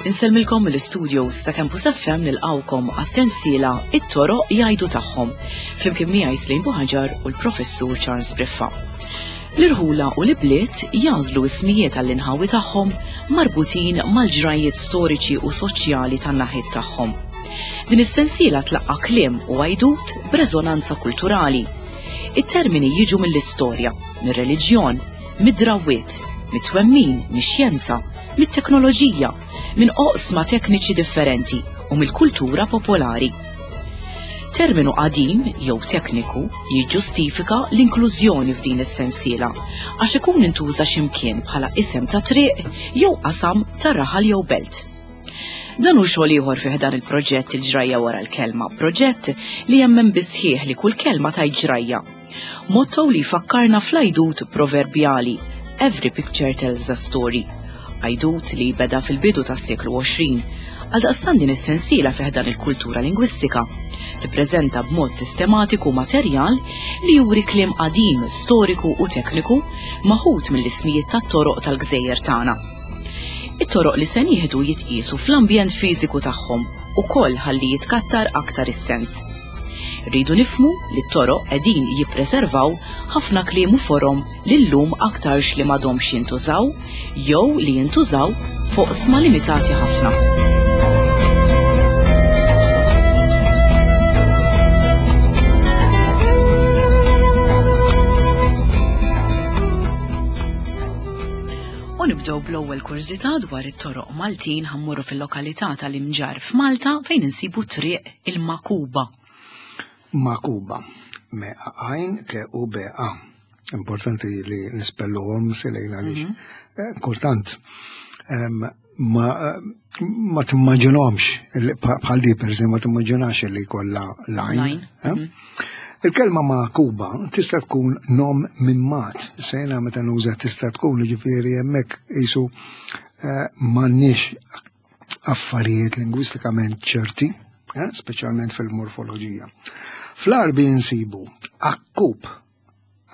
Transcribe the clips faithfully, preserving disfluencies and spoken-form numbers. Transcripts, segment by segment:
Insellmilkom mill-studios ta' Campus F M nilqawkom għas-sensiela It-Toroq Jgħidu Tagħhom, flimkien miegħi Slim Buhaġar u l-Professur Charles Briffa. L-irħula u l-ibliet jażlu ismijiet għall-inħawi tagħhom marbutin mal-ġrajiet storiċi u soċjali tan-naħiet tagħhom. Din is-sensiela tlaqqa' kliem u għajdut b'reżonanza kulturali. It-termini jiġu mill-istorja, mir-reliġjon, mid-drawwiet, mit-twemmin, mix-xjenza, mit-teknoloġija, minn oqsma tekniċi differenti u mill-kultura popolari. Terminu qadim jew tekniku jiġġustifika l-inklużjoni f'din is-sensiela għax ikun intuża x'imkien bħala isem ta' triq jew qasam ta' raħal jew belt. Dan hu xogħol ieħor fih dan il-proġett Il-Ġrajja Wara l-Kelma, proġett li jemmen bisħieħ li kull kelma tajt ġrajja. Motto li jfakkarna fl-għajdut proverbjali Every picture tells a story. Għajdut li beda fil-bidu tas-seklu għoxrin, għaldaqstant din is-sensiela fih dan il-kultura lingwistika tippreżenta b'mod sistematiku materjal li juri kliem qadim, storiku u tekniku maħud mill-ismijiet tat-toroq tal-gżejjer tagħna. It-toroq li se nieħdu jitqiesu fl-ambjent fiżiku tagħhom ukoll ħalli jitkattar aktar is-sens. Rridu nifhmu li t-toroq qegħdin jippreservaw ħafna kliem u forom li llum aktarx li m'għadhomx jintużaw jew li jintużaw fuq sma limitati ħafna. U nibdew bl-ewwel kurżità dwar it-toroq Maltin ħammurru fil-lokalità tal-Imġarr f'Malta fejn insibu triq il-Makuba. Makuba, me għajn ke u B A. Importanti li nispelluhom silejn għaliex. Mhm. Eh, kultant, em, ma, ma timmaġinhomx, il-, pa-, bħal di per eżempju, ma timmaġinax li jkollha lajn, Lajn, eh? mhm. Il-kelma Makuba tista' tkun nom minn mat. Sejna meta nuża tista' tkun, ġifieri hemmhekk qisu, eh, m'għandniex affarijiet lingwistikament ċerti, eh, speċjalment fil-morfoloġija. Fl-Arbi nsibu akkub,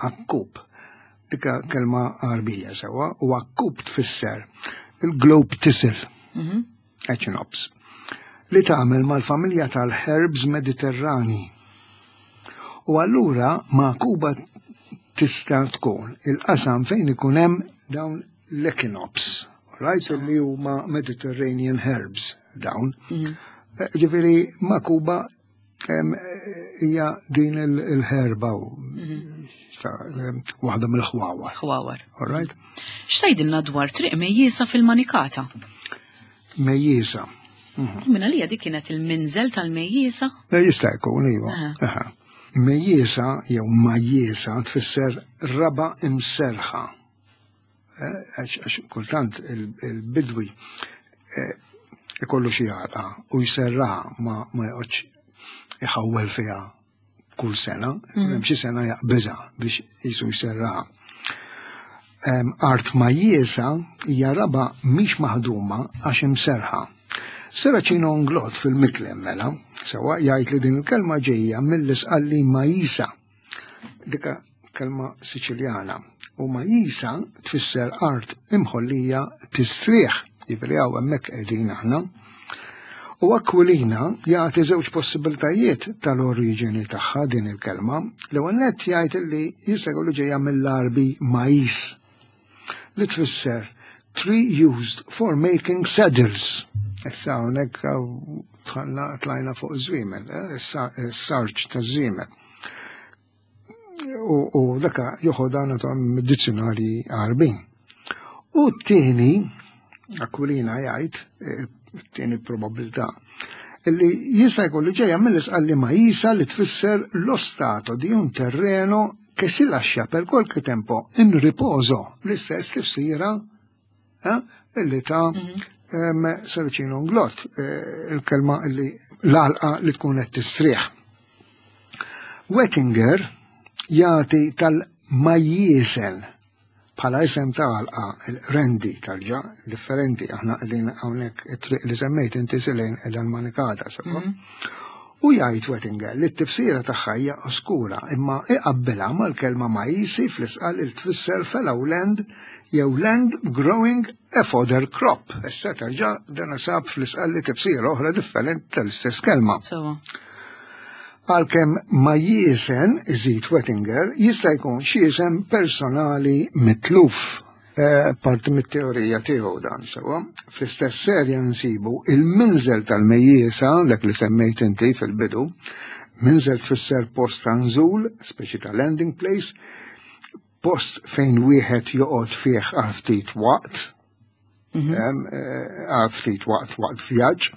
akkub, dika kelma Arbija sewa, u akkub tfisser il-globe thistle, Mhm. Echinops, li tagħmel mal-familja tal-herbs Mediterrani. U allura Makuba tista' tkun il-qasam fejn ikun hemm dawn l-echinops, right? Li huma Mediterranean herbs dawn. Mhm. Eh, ġifieri Makuba, em, hija din il-, il-herba u Mhm. ta', em, waħda mill-ħwawar. Ħwawar. All right? X'tgħidilna dwar triq Mejjiesa fil-Manikata? Mejjiesa. Mhm. Minn għalija dik kienet il-minżel tal-Mejjiesa? Eh, jista' jkun, iva. Aha. Aha. Mejjiesa jew Majjiesa tfisser raba imserħa. Eh, għax, għax kultant il-, il-bidwi, eh, ikollu xi għalqa u jserraha ma, ma joqgħodx iħawwel fiha kull sena, Mm. hemm xi sena jaqbiżha biex jisu jserraha. Em, art Majjiesa hija raba mhix maħduma għax imserħa. Serracino Inglott fil-Miklem mela, sewa jgħid li din il-kelma ġejja mill-isqalli Majisa, dika kelma Siċiljana, u Majisa tfisser art imħollija tistrieħ, jiġifieri hawn hemmhekk qegħdin aħna. U Aquilina jagħti żewġ possibiltajiet tal-oriġini tagħha din il-kelma. L-ewwel nett jgħid li jista' jkun li ġejja mill-Arbi Mais, li tfisser tree used for making saddles. Issa hawnhekk tħanna tlajna fuq żwiemel, eh, issa s-sarġ taż-żiemel. U, u daka joħodha nagħtuhom mid-dizzjonarji Għarbin. U t-tieni, Aquilina jgħid, eh, t-tieni probabilità, illi jista' jkun li ġejja mill-isqalli Majisa li tfisser lo stato di un terreno che si lascia per qualche tempo in riposo, l-istess tifsira, eh, illi ta' Mhm. em, Serracino Inglott, eh, il-kelma illi l-għalqa li tkun qed tistrieħ. Wettinger jagħti tal-Majjiesen bħala isem ta' għalqa il-rendi tal-ġa, differenti, aħna qegħdin hawnhekk it-triq li semmejt inti silejn qiegħda l-Manikata, sewa. Mhm. U jgħid Wettinger li t-tifsira tagħha hija oskura imma iqabbilha mal-kelma majisi fl-isqal il tfisser fallow land jew land growing a fodder crop. Issa terġa' dan sab fl-isqal li tifsira oħra differenti tal-istess kelma. Sewa. Għalkemm Majjiesen, iżid Wettinger, jista' jkun xi isem personali mitluf. Eh, parti mit-teorija tiegħu dan sewa. Fl-istess serja nsibu il-minżel tal-Mejjiesa, dak li semmejt inti fil-bidu, minżel tfisser post ta' nżul, speċi ta' landing place, post fejn wieħed joqgħod fih għal ftit waqt, em, eh, għal ftit waqt waqt vjaġġ,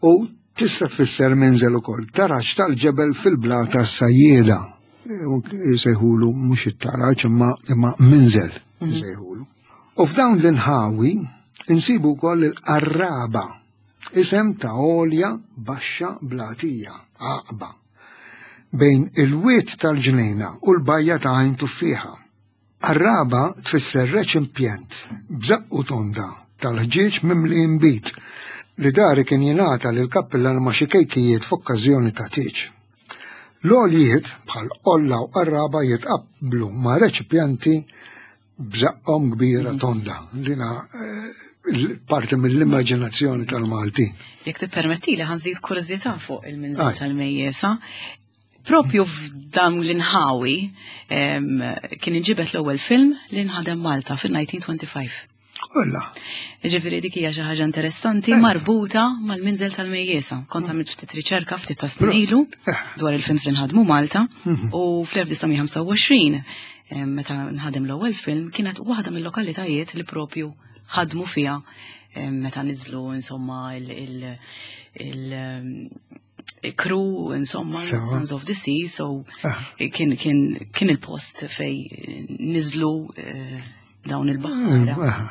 u tista' tfisser minżel ukoll taraġ tal-ġebel fil-blata sajjieda. Jsejħulu mhux it-taraġ imma imma minżel jsejħulu. U f'dawn l-inħawi insibu wkoll il-qarraba, isem ta' għolja baxxa blatija, għaqba, bejn il-wied tal-ġnejna u l-bajja ta' Għajn Tuffieħa. Qarraba tfisser reċipjent b'żaqqu tonda tal-ħġieġ mimli imbit li dari kien jingħata lil kappillan ma' xi kejkijiet f'okkażjoni ta' tieġ. L-għoljiet bħal qolla u qarraba jitqabblu ma' reċipjenti b'żaqqhom kbira tonda. Dina eh, parti mill-immaġinazzjoni tal-Malti. Jekk tippermetti li ħa nżid kurżità fuq il-minżel Aj. tal-Mejjesa. Propju f'dan l-inħawi em, kien inġibet l-ewwel film li nħadem Malta fil-elf disa' mija u tlieta u għoxrin. Kolla. Ġifieri dik hija xi ħaġa interessanti Eh. marbuta mal-minżel tal-Mejjesa. Kont għamilt ftit riċerka ftit ta' snin ilu Eh. dwar il-films li nħadmu Malta u fl-elf disa' mija u ħamsa u għoxrin em, meta nħadem l-ewwel film kienet waħda mill-lokalitajiet li propju ħadmu fiha em, meta niżlu insomma il- il- il- em, crew insomma Sewa. Sons of the Sea, so Ah. kien kien kien il-post fej niżlu eh, dawn il-baħħara. Ah,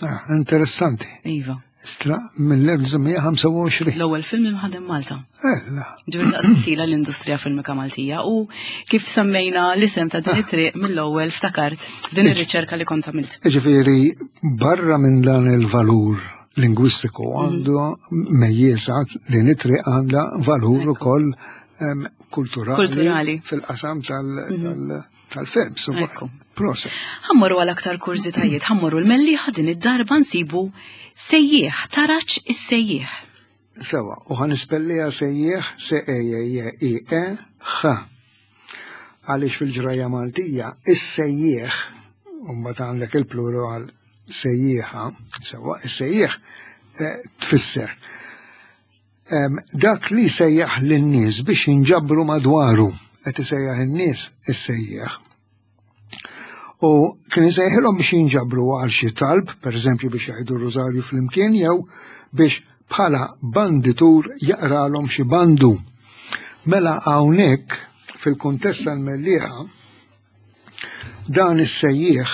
ah, interessanti. Iva. Istra mill-elf disa' mija u ħamsa u għoxrin. L-ewwel film li nħadem Malta. Ella. Ġifieri daqs tila l-industrija filmika Maltija u kif semmejna l-isem ta' din it-triq mill-ewwel ftakart f'din ir-riċerka li kont għamilt. Ġifieri, barra minn dan il-valur lingwistiku għandu Mejjiesa li it-triq għandha valur ukoll em, kulturali, Kulturali. fil-qasam tal- tal- tal-film. So, Ekku. Proset. Ħa mmorru għal aktar kurżitajiet, ħa mmorru l-Mellieħa, din id-darba nsibu sejjieħ, taraċ is-sejjieħ. Sewa, u ħa nispellija sejjieħ se e j i e h. Għaliex fil-ġraja Maltija, is-sejjieħ, u mbagħad għandek il-plural sejjieħa, sewa, is-sejjieħ eh, tfisser. Em, Dak li sejjaħ lin-nies biex jinġabru madwaru, qed isejjaħ in-nies is-sejjieħ. U kien isejħilhom biex jinġabru għal xi talb, per eżempju biex jgħidu r-rużarju flimkien jew biex bħala banditur jaqralhom xi bandu. Mela hawnhekk fil-kuntest tal-Mellieħa dan is-sejjieħ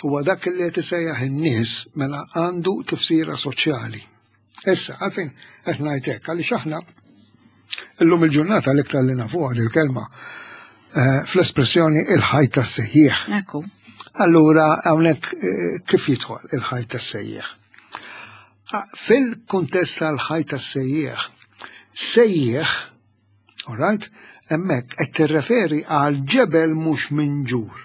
huwa dak li qed isejjaħ in-nies mela għandu tifsira soċjali. Issa, għalfejn qed ngħid hekk għaliex aħna illum il-ġurnata l-iktar li nafuha il-kelma eh, fl-espressjoni il-ħajt tas-sejjieħ. Ekku. Allura hawnhekk eh, kif jidħol il-ħajt tas-sejjieħ? Ah, fil-kuntest tal-ħajt tas-sejjieħ, sejjieħ, all right, hemmhekk qed tirreferi għal ġebel mhux minġur,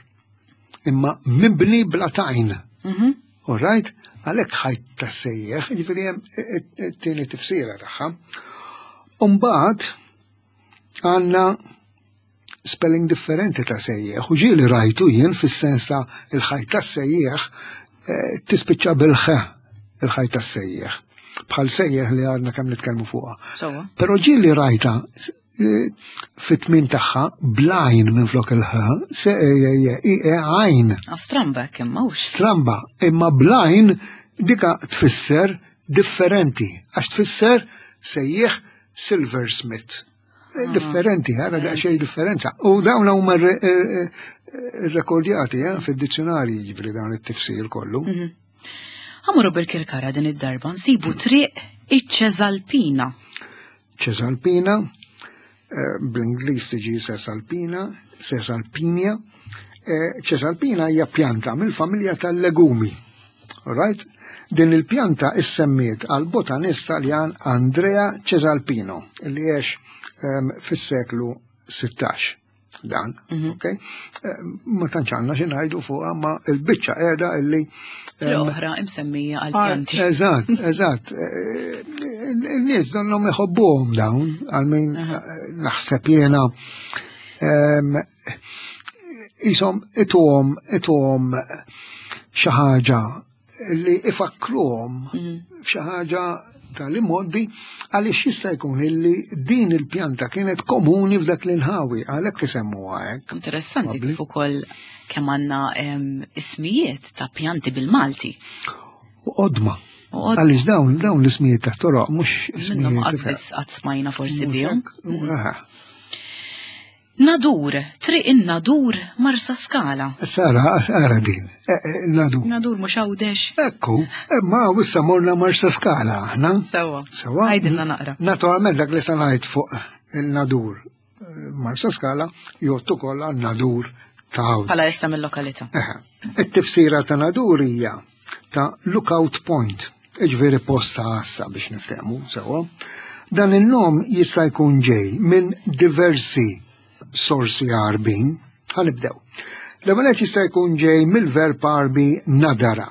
imma mibni bla tajn. Mhm. All right, għalhekk ħajt tas-sejjieħ, jiġifieri hemm it-tieni tifsira tagħha. Umbagħad għandna spelling differenti ta' sejjieħ, u ġieli rajtu jien fis-sens ta' il-ħajt tas-sejjieħ eh, tispiċċa bil-ħ il-ħajt tas-sejjieħ. Bħal sejjeħ li għadna kemm nitkellmu fuqha. Sewa. Però ġieli rajta eh, fit-tmien tagħha bl-għajn minn flok il-ħ, se e e e e għajn. Stramba kemm mhux. Stramba, imma bl-għajn dika tfisser differenti, għax tfisser sejjeħ silversmith. Eh, Differenti, għara daqsxejn differenza. U dawn huma re- eh, eh, rekordjati eh, fid-dizzjonarji jiġifieri dawn it-tifsir kollu. Ħa mmorru Birkirkara, din id-darba nsibu triq iċ-Ċesalpina. Ċesalpina, eh, bl-Ingliż tiġi Sesalpina, Sesalpinia. Eh, Ċesalpina hija pjanta mill-familja tal-legumi. Right? Din il-pjanta issemmiet għal botanist Taljan Andrea Cesalpino, li għex um, fis-seklu sittax. Dan, mm -hmm. ok? Ma tantx għandna xi ngħidu fuqha, ma l-biċċa qiegħda illi oħra imsemmija għal pjanti. Eżatt, eżatt. Il-nies donnhom iħobbuhom dawn, għal min naħseb jiena jisom ituhom ituhom xi ħaġa li ifakkruhom f'xi ħaġa tal-immoddi, għaliex jista' jkun illi din il-pjanta kienet komuni f'dak l-inħawi, għalhekk isemmuha hekk. Interessanti kif ukoll kemm għandna ismijiet ta' pjanti bil-Malti. U qodma. Għaliex dawn dawn l-ismijiet ta' toroq mhux ismijiet. Minnhom qas qatt smajna forsi bihom. Nadur, triq in-Nadur, Marsaskala. Sara, sara din, Nadur. Nadur mhux Għawdex. Ekku, imma issa morna Marsaskala aħna. Sewa. Sewa. Għajdilna naqra. Naturalment dak li se ngħid fuq il-Nadur Marsaskala jgħod ukoll għan-Nadur ta' Għawdex. Bħala issa mill-lokalità. It-tifsira ta' Nadur hija ta' lookout point, jiġifieri post ta' għassa biex niftehmu, sewa. Dan in-nom jista' jkun ġej minn diversi sorsi Għarbin. Ħanibdew. L-ewwel jista' jkun ġej mill-verb Għarbi nadara,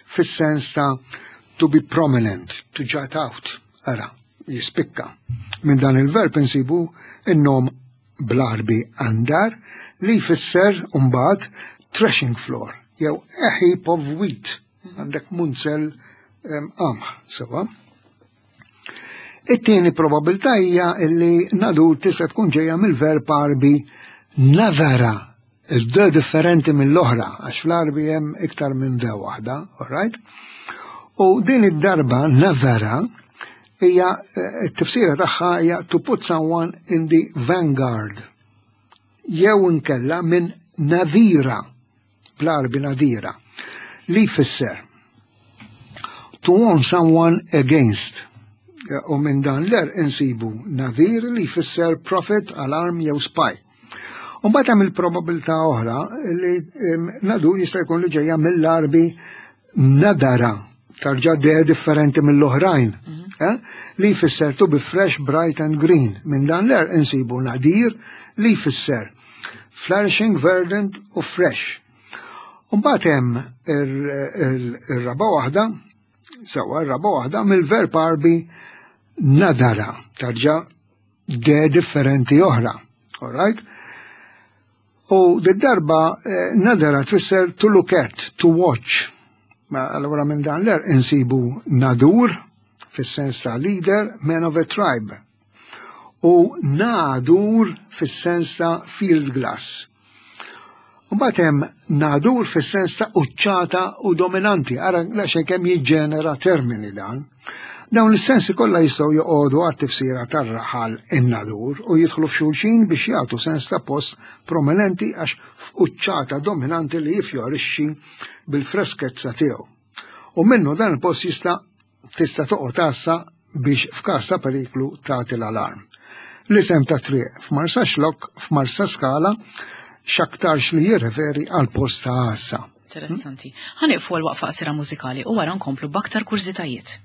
fis-sens ta' to be prominent, to jut out, ara, jispikka. Minn dan il-verb insibu in-nom bl-Għarbi andar, li jfisser mbagħad threshing floor, jew a heap of wheat, għandek munzel qamħ, sewa. It-tieni probabilità hija li Nadur tista' tkun ġejja mill-verb Għarbi nadara, il-d differenti mill-oħra, għax fl-Għarbi hemm iktar minn d waħda, all right? U din id-darba nadara hija t-tifsira tagħha hija to put someone in the vanguard, jew inkella minn nadira, bl-Għarbi nadira, li jfisser to warn someone against. U minn dan l-er insibu nadir li jfisser prophet, alarm jew spy. U mbagħad hemm il-probabilità oħra li Nadur jista' jkun li ġejja mill-Għarbi nadara, tarġa de differenti mill-oħrajn, li jfisser to be fresh, bright and green. Minn dan l-er insibu nadir li jfisser flourishing, verdant u fresh. U mbagħad hemm ir-raba waħda, sewa r-raba waħda mill-verb Għarbi nadara, tarġa de differenti oħra, all right? U d-darba nadara tfisser to look at, to watch. Ma allura minn dan l-er insibu nadur, fis-sens ta' leader, man of a tribe. U nadur fis-sens ta' field glass. U mbagħad hemm nadur fis-sens ta' uċċata u dominanti, ara xejn kemm jiġġenera termini dan. Dawn is-sensi kollha jistgħu joqogħdu għat-tifsira tar-raħal in-Nadur u jidħlu f'xulxin biex jagħtu sens ta' post prominenti għax f'quċċata dominanti li jifjorixxi bil-freskezza tiegħu. U minnu dan il-post jista' tista' toqgħod għassa biex f'każ ta' periklu tagħti l-alarm. L-isem ta' triq f'Marsaxlokk, f'Marsaskala, x'aktarx li jirreferi għal post ta' għassa. Interessanti. Ħanieqfu għal waqfa qasira mużikali u wara nkomplu b'aktar kurżitajiet.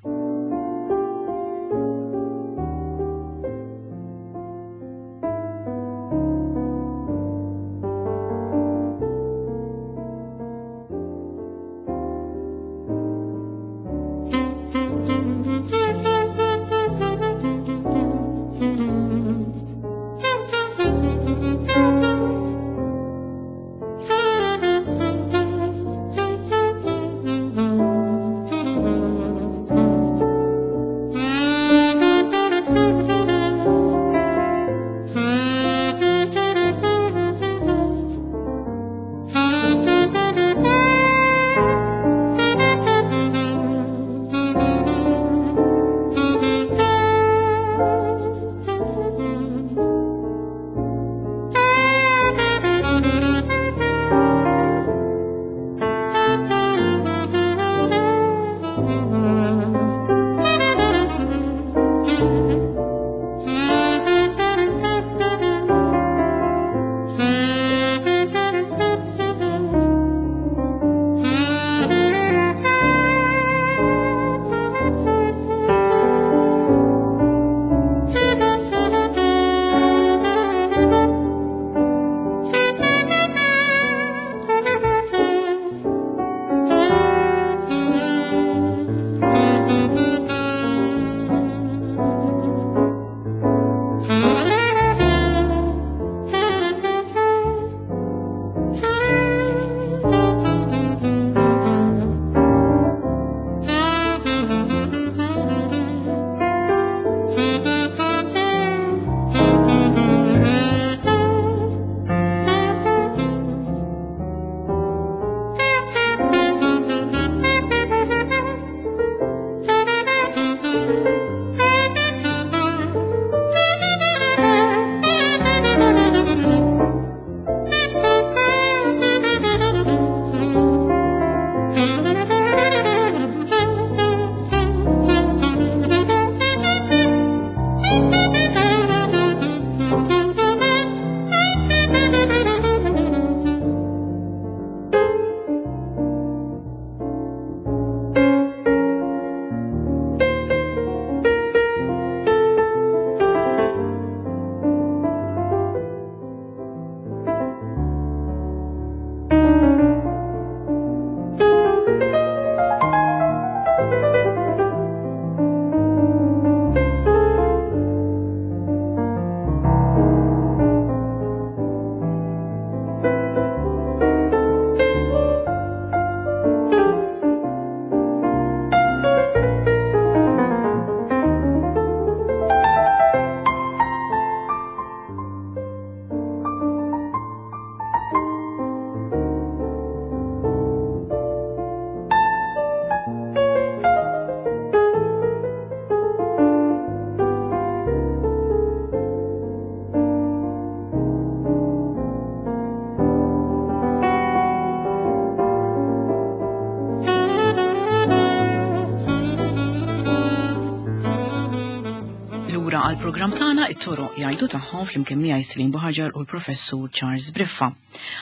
Il-programm tagħna It-Toroq Jgħidu Tagħhom flimkien miegħi Celine Buhagiar u l-Professur Charles Briffa.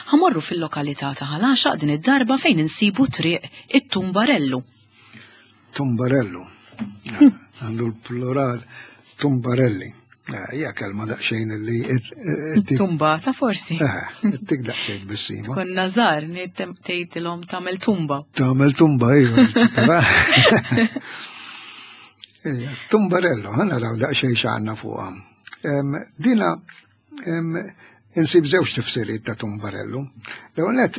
Ħa mmorru fil-lokalità ta' Ħal Għaxaq din id-darba fejn insibu Triq it-Tumbarellu. Tumbarellu. Għandu l-plural tumbarelli. Hija kelma daqsxejn li Tumbata forsi. Tik daqsxejn bissima. Konna żgħar tgħidilhom tagħmel tumba. Tagħmel tumba, iva. Tumbarello, ħa naraw daqsxejn x'għandna fuqha. Dina insib żewġ tifsiriet ta' tumbarellu. L-ewwel nett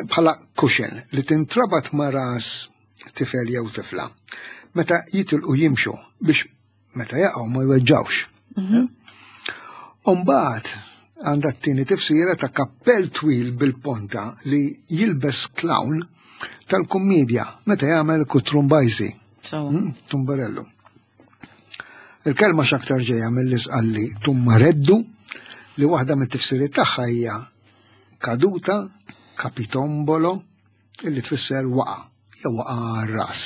bħala cushion li tintrabat ma' ras tifel jew tifla. Meta jitilqu jimxu biex meta jaqgħu ma jweġġawx. Umbagħad għandha t-tieni tifsira ta' kappell twil bil-ponta li jilbes clown tal-kummedja meta jagħmel kutrumbajsi. Hmm, tumbarellu. Il-kelma x'aktar ġejja mill-Isqalli tummareddu, li waħda mit-tifsiriet tagħha hija kaduta, capitombolo, illi tfisser waqa, jew waqa għar-ras.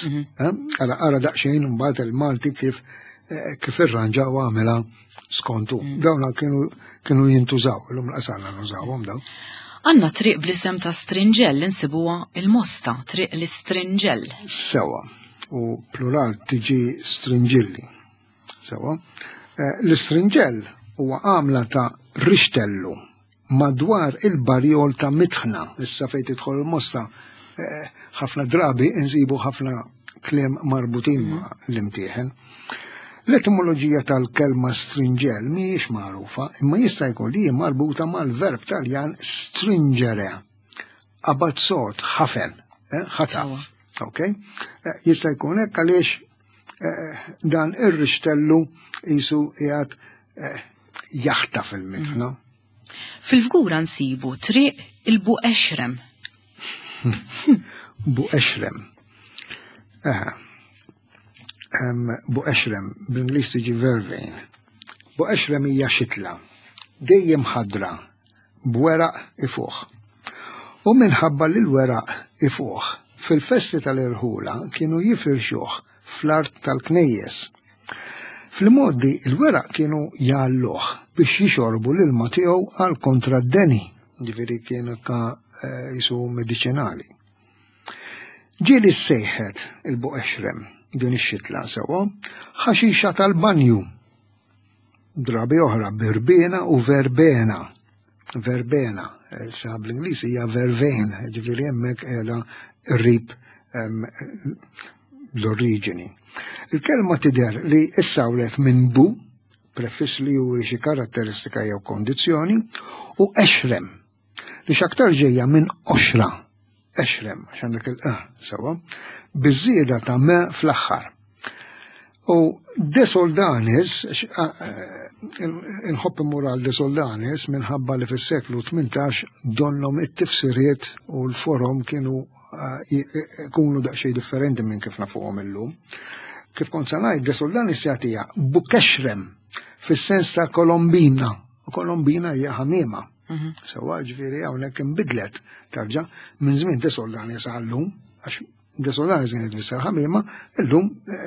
Ara ara daqsxejn imbagħad il-Malti kif eh, kif irranġa u għamela skontu. Dawna kienu kienu jintużaw, illum l-qasalna nużawhom dawn. Għandna triq bl-isem ta' Stringell insibuha il-Mosta, Triq l-Istringell. Sewa, u plural tiġi stringilli. Sewa. Eh, L-istringell huwa għamla ta' rixtellu madwar il-barjol ta' mitħna. Issa fejn tidħol il-Mosta, eh, ħafna drabi nsibu ħafna kliem marbutin ma' l-imtieħen. L-etimoloġija tal-kelma stringell mhijiex magħrufa, imma jista' jkun li hi marbuta mal-verb Taljan stringere. Abazzot, ħafen, eh, ħataf. Ok? Eh, Jista' jkun hekk għaliex eh, dan ir-rixtellu jisu qiegħed eh, jaħtaf il-mitħna. Fil-Fgura nsibu Triq il-Buqexrem. Buqexrem. Eħe. Em, Buqexrem, bl-Ingliż tiġi vervain. Buqexrem hija xitla, dejjem ħadra, b'weraq ifuħ. U minħabba li l-weraq ifuħ, fil-festi tal-irħula kienu jifirxuh fl-art tal-knejjes. Fil-modi il-weraq kienu jgħalluh biex jixorbu l-ilma tiegħu għal kontra d-deni, ġifieri kienu ka eh, jisu medicinali. Ġieli sejħet il-buqexrem din ix-xitla sewwa ħaxixa tal-banju. Drabi oħra birbena u verbena. Verbena, sa bl-Ingliż hija vervain, ġifieri hemmhekk qiegħda qrib em, l-oriġini. Il-kelma tidher li issawret minn bu, prefiss li juri xi karatteristika jew kondizzjoni, u exrem, li x'aktar ġejja minn oxra, exrem, għax għandek il-eh, sewa, biżieda ta' me fl-aħħar. U De Soldanis, inħobb immur għal De Soldanis minħabba li fis-seklu tmintax donnom it-tifsiriet u l-forom kienu jkunu daqsxejn differenti minn kif nafuhom illum. Kif kont sa ngħid, De Soldanis jagħtiha bukexrem fis-sens ta' kolombina. U kolombina hija ħamiema. Sewa ġifieri hawnhekk inbidlet tarġa' minn żmien De Soldanis għallum, għax De Soldanis kienet tfisser ħamiema, illum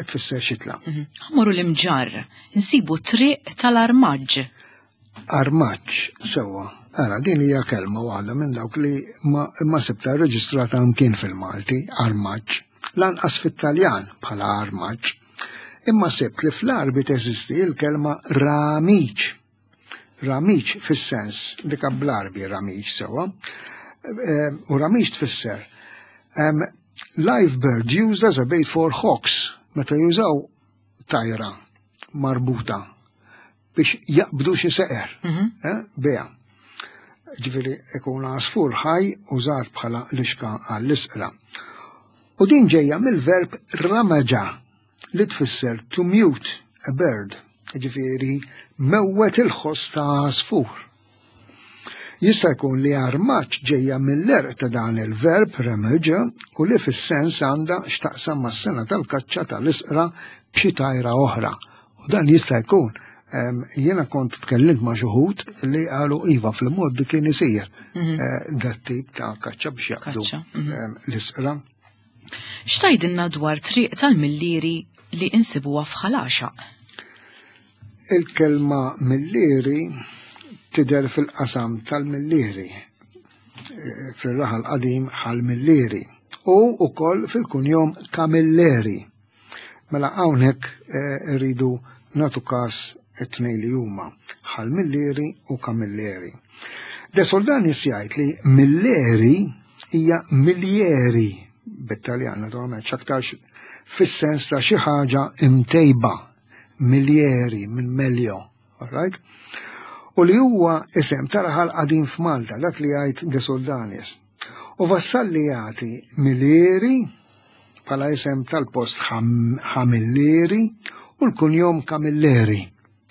tfisser xitla. Ħa mmorru l-Imġarr, insibu Triq tal-Armaġġ. Armaġġ, sewa. Ara, din hija kelma waħda minn dawk li ma, ma sibta reġistrata mkien fil-Malti, armaġġ. Lanqas fit-Taljan bħala armaġġ. Imma sibt li fl-Arbi teżisti il-kelma ramiċ. Ramiċ fis-sens, dik bl-Arbi ramiċ sewa. Eh, U ramiċ tfisser um, live bird used as a bait for hawks, meta jużaw tajra marbuta biex jaqbdu xi seqer, eh, beha. Ġifieri ikun għasfur ħaj użat bħala lixka għall-isqra. U din ġejja mill-verb ramaġa li tfisser to mute a bird, ġifieri mewwet il-ħoss ta' għasfur. Jista' jkun li armaġġ ġejja mill-għerq ta' dan il-verb ramaġa u li fis-sens għandha x'taqsam mas-sena tal-kaċċa tal-isqra b'xi tajra oħra. U dan jista' jkun. Em, Jiena kont tkellimt ma' xi wħud li qalu iva fil-mod kien isir eh, dat tip ta' kaċċa biex jaqbdu Kaċċa, mhm. em, l-isqra. X'tgħidilna dwar Triq tal-Millieri li insibuha f'Ħal Għaxaq? Il-kelma Millieri tidher fil-qasam tal-Millieri, eh, fil-raħal qadim Ħal Millieri, u wkoll fil-kunjom Camilleri. Mela hawnhekk eh, rridu nagħtu kas it-tnejn li huma, Ħal Millieri u Camilleri. De Soldanis jgħid li Milleri hija Milieri bit-Taljan, naturalment, x'aktarx fis-sens ta' xi ħaġa imtejba, Milieri minn meglio, all right? U li huwa isem ta' raħal qadim f'Malta, dak li jgħid De Soldanis. U Vassalli jagħti Milieri bħala isem tal-post Ħamillieri u l-kunjom Camilleri.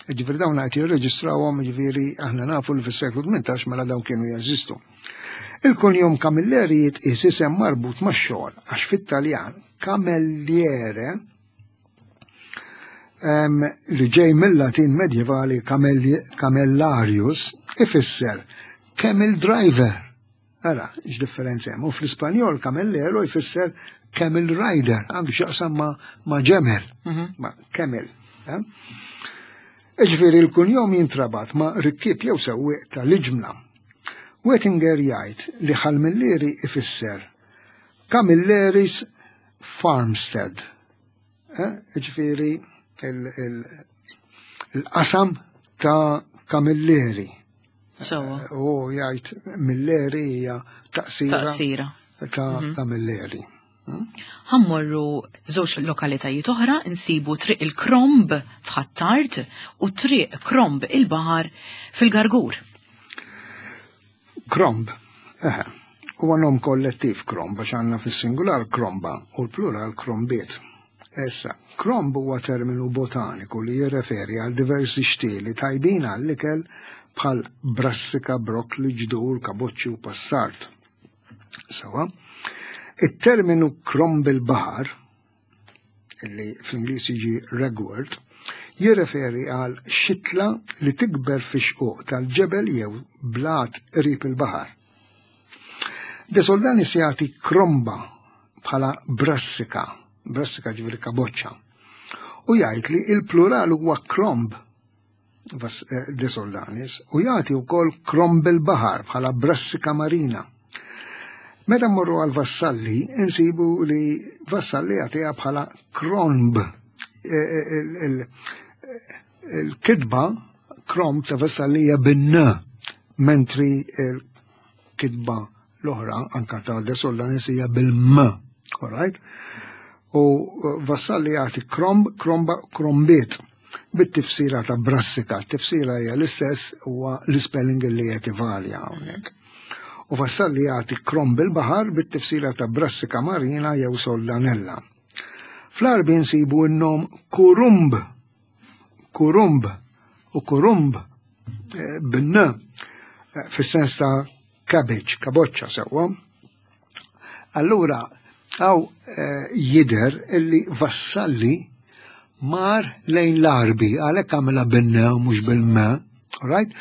Ġifieri dawn qed jirreġistrawhom, ġifieri aħna nafu li fis-seklu tmintax mela dawn kienu jeżistu. Il-kunjom Camilleri jitqies isem marbut max-xogħol għax fit-Taljan Camelliere, li ġej mill-Latin medjevali camellarius, ifisser camel driver. Ara, x'differenza hemm. U fl-Ispanjol camellero jfisser camel rider, għandu x'jaqsam ma, ma ġemel, mhm. ma camel. Eh? Ġifieri l-kunjom jintrabat ma' rikkieb jew sewwieq tal-iġmla. Wettinger jgħid li Ħal Millieri ifisser Camilleris Farmstead. Eh? Ġifieri il-qasam ta' Camilleri. U jgħid Milleri hija taqsira ta' mhm. Camilleri. Ħa mmorru żewġ lokalitajiet oħra, insibu Triq il-Kromb f'Ħ'Attard u Triq Kromb il-Baħar fil-Gargur. Kromb, eħe, huwa nom kollettiv kromb, għax għandna fis-singular kromba u l-plural krombiet. Issa, kromb huwa terminu botaniku li jirreferi għal diversi xtieli tajbin għall-ikel bħal brassika, brokli, ġdur, kaboċċi u passart. Sawa, it-terminu kromb il-baħar, illi fl-Ingliż jiġi ragwort, jirreferi għal xitla li tikber fi xquq tal-ġebel jew blat qrib il-baħar. De Soldanis jagħti kromba bħala brassika, brassika ġifieri kaboċċa, u jgħid li il-plural huwa kromb eh, De Soldanis, u jagħti wkoll kromb il-baħar bħala brassika marina. Meta mmorru għal Vassalli, insibu li Vassalli jagħtiha bħala kronb. E, e, il-kitba kromb ta' Vassalli hija bin-n, mentri il-kitba l-oħra anka ta' De Soldanis hija bil-m. All right? U Vassalli jagħti kromb, kromba, krombiet bit-tifsira ta' brassika. Tifsira hija l-istess, huwa l-spelling li qed ivarja hawnhekk. U Vassalli jagħti kromb il-baħar bit-tifsira ta' brassika marina jew soldanella. Fl-Għarbi nsibu n-nom kurumb, kurumb u kurumb eh, bin-n eh, fis-sens ta' cabbage, kaboċċa, sewwa. Allura, hawn eh, jidher illi Vassalli mar lejn l-Għarbi, għalhekk għamilha bin-n u mhux bil-m, right?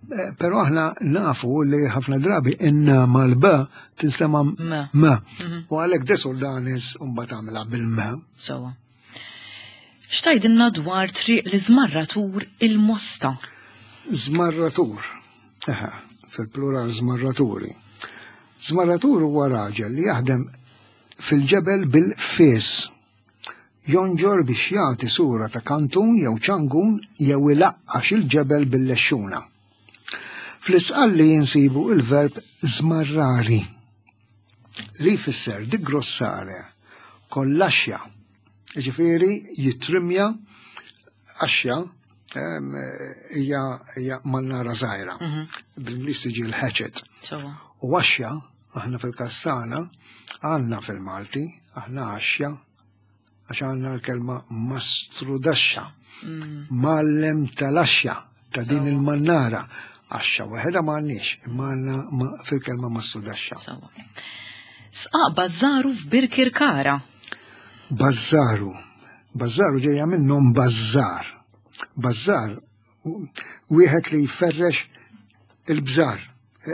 Eh, Pero aħna nafu li ħafna drabi in mal-b tinstema' M. m. U għalhekk De Soldanis mbagħad għamilha bil-m. Sewwa. X'tgħidilna dwar Triq l-Iżmarratur il-Mosta? Zmarratur. Eħe, fil-plural zmarraturi. Zmarratur huwa raġel li jaħdem fil-ġebel bil-fis. Jonġor biex jagħti sura ta' kantun jew ċangun jew ilaqqax il-ġebel bil-lexxuna. Fl-Isqalli jinsibu il-verb zmarrari li jfisser digrossare con l-ascia, ġifieri jitrimja axxa em, hija hija mannara żgħira. Bl-Ingliż tiġi l-hatchet. Sewwa. U għaxja, aħna fil-Kastana, għandna fil-Malti, aħna għaxja, għax għandna l-kelma mastrudaxxa, mgħallem tal-axxa, ta' din il-mannara. Għaxxa waħedha ma għandniex, imma għandna ma- fil-kelma mastrudaxxa. Sewwa. Sqaq Bazzaru f'Birkirkara. Bazzaru. Bazzaru ġejja minnhom bazzar. Bazzar, wieħed li jferrex il-bżar.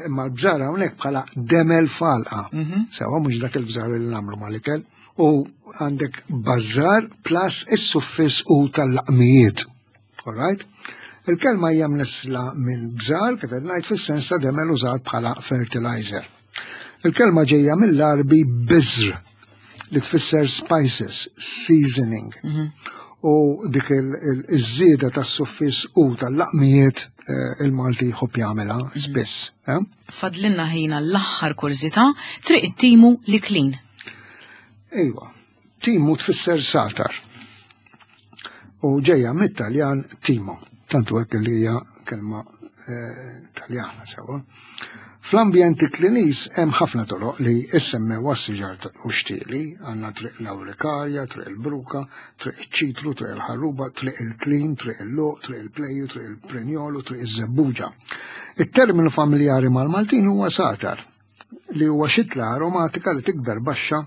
Imma l-bżar hawnhekk bħala demel falqa. Sewwa, mhux dak il-bżar li nagħmlu mal-ikel. U għandek bazzar plus is-suffis u tal-laqmijiet. All right? Il-kelma hija mnissla minn bżar, kif qed ngħid, fis-sens ta' demel użat bħala fertilizer. Il-kelma ġejja mill-Arbi bizr, li tfisser spices, seasoning. U dik il-żieda tas-suffiss u tal-laqmijiet eh, il-Malti jħobb jagħmilha spiss. Eh? Fadlinna ħina l-aħħar kurżità, Triq it-Timu, l-Iklin. Ejwa, timu tfisser satar. U ġejja mit-Taljan timo, tantu hekk li hija kelma eh, Taljana sewa. Fl-ambjent Kliniż hemm ħafna toroq li issemmew għas-siġar u xtieli, għandna Triq l-Awrikarja, Triq il-Bruka, Triq iċ-Ċitru, Triq il-Ħarruba, Triq il-Klin, Triq il-Luq, Triq il-Pleju, Triq il-Prenjolu, Triq iż-Żebbuġa. Il-terminu familjari mal-Maltin huwa satar, li huwa xitla aromatika li tikber baxxa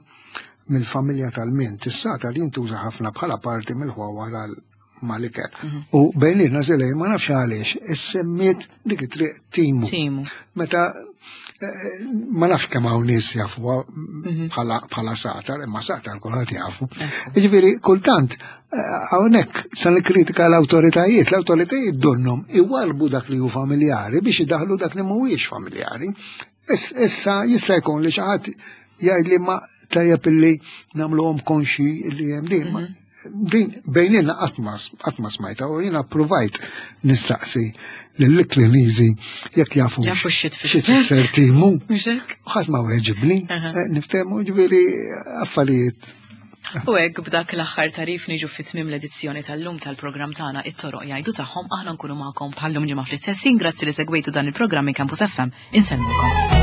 mill-familja tal-mint. Is-satar jintuża ħafna bħala parti mill-ħwawar għal mal-ikel. U bejnietna zelej ma nafx għaliex, issemmiet dik it-triq Timu. Timu. Meta eh, ma nafx kemm hawn nies jafuha bħala bħala satar, imma satar kulħadd jafu. Jiġifieri kultant eh, hawnhekk sa nikkritika l-awtoritajiet, l-awtoritajiet donnhom iwarbu dak li hu familjari biex idaħlu dak li mhuwiex familjari. Issa jista' jkun li xi ħadd jgħid li ma tajjeb illi nagħmluhom konxi li hemm din. Ma din bejnietna qatt ma smajta u jiena provajt nistaqsi lill-Kliniżi jekk jafu Jafu xi tfisser. xi tfisser timu. Mhux hekk? Ħadd ma weġibni, Aha. eh, niftehmu, ġifieri affarijiet. U hekk b'dak l-aħħar tarif niġu fi tmiem l-edizzjoni tal-lum tal-programm tagħna It-Toroq Jgħidu Tagħhom. Aħna nkunu magħkom bħallum ġimgħa fl-istess ħin. Grazzi li segwejtu dan il-programm minn Campus F M. Insellmukom.